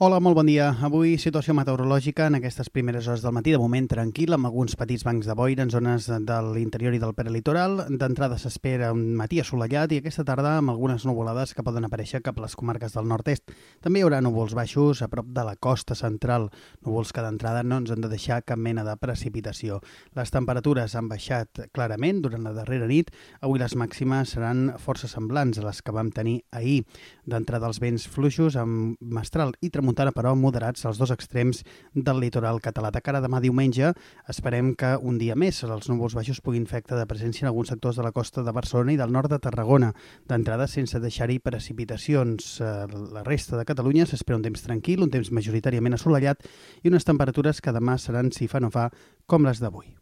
Hola, molt bon dia. Avui situació meteorològica en aquestes primeres hores del matí, de moment tranquil, amb alguns petits bancs de boira en zones de l'interior i del prelitoral. D'entrada s'espera un matí assolellat i aquesta tarda amb algunes nuvolades que poden aparèixer cap a les comarques del nord-est. També hi haurà núvols baixos a prop de la costa central, núvols que d'entrada no ens han de deixar cap mena de precipitació. Les temperatures han baixat clarament durant la darrera nit. Avui les màximes seran força semblants a les que vam tenir ahir. D'entrada els vents fluixos amb mestral i tramuntana, però moderats als dos extrems del litoral català. De cara a demà diumenge esperem que un dia més els núvols baixos puguin fer acte de presència en alguns sectors de la costa de Barcelona i del nord de Tarragona. D'entrada sense deixar-hi precipitacions. La resta de Catalunya s'espera un temps tranquil, un temps majoritàriament assolellat i unes temperatures que demà seran, si fa no fa, com les d'avui.